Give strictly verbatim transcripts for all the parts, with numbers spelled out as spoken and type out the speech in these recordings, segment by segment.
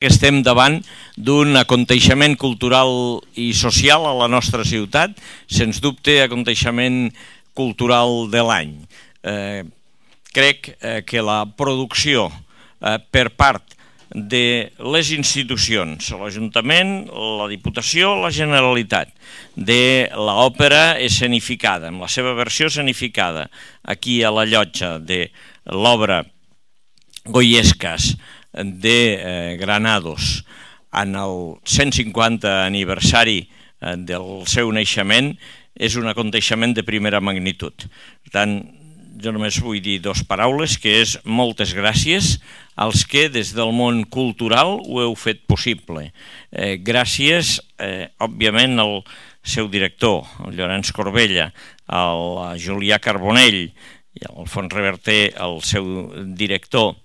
que estem davant d'un aconteixement cultural i social a la nostra ciutat, sens dubte aconteixement cultural de l'any. Eh, crec eh, que la producció eh, per part de les institucions, l'Ajuntament, la Diputació, la Generalitat, de l'òpera escenificada, amb la seva versió escenificada, aquí a la llotja de l'obra Goyescas de eh, Granados en el cent cinquanta aniversari eh, del seu naixement és un aconteixement de primera magnitud. Per tant, jo només vull dir dues paraules, que és moltes gràcies als que des del món cultural ho heu fet possible. Eh, gràcies, eh, òbviament, al seu director, el Llorenç Corbella, al Julià Carbonell i al Alfons Reverter, el seu director,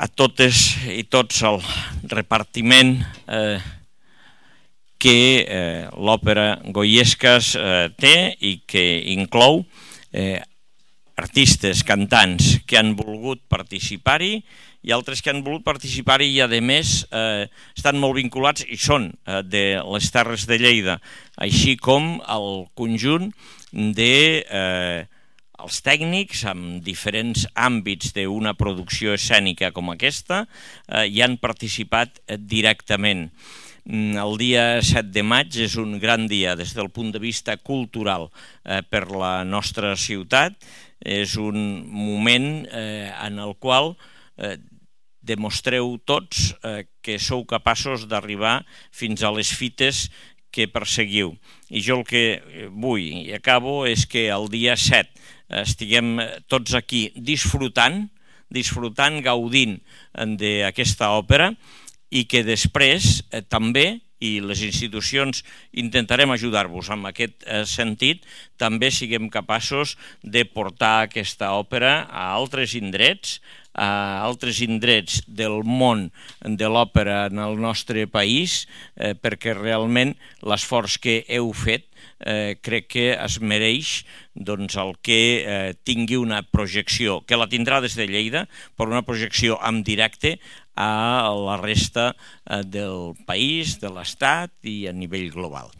a totes i tots el repartiment eh, que eh, l'òpera Goyescas eh, té i que inclou eh, artistes, cantants que han volgut participar-hi i altres que han volgut participar-hi i a més eh, estan molt vinculats i són eh, de les Terres de Lleida, així com el conjunt de eh, els tècnics amb diferents àmbits d'una producció escènica com aquesta eh, hi han participat eh, directament. El dia set de maig és un gran dia des del punt de vista cultural eh, per la nostra ciutat. És un moment eh, en el qual eh, demostreu tots eh, que sou capaços d'arribar fins a les fites que perseguiu. I jo el que vull i acabo és que el dia set estiguem tots aquí disfrutant, disfrutant, gaudint d'aquesta òpera i que després eh, també, i les institucions intentarem ajudar-vos en aquest eh, sentit, també siguem capaços de portar aquesta òpera a altres indrets, a altres indrets del món de l'òpera en el nostre país, eh, perquè realment l'esforç que heu fet eh, crec que es mereix doncs, el que eh, tingui una projecció, que la tindrà des de Lleida, però una projecció en directe a la resta eh, del país, de l'Estat i a nivell global.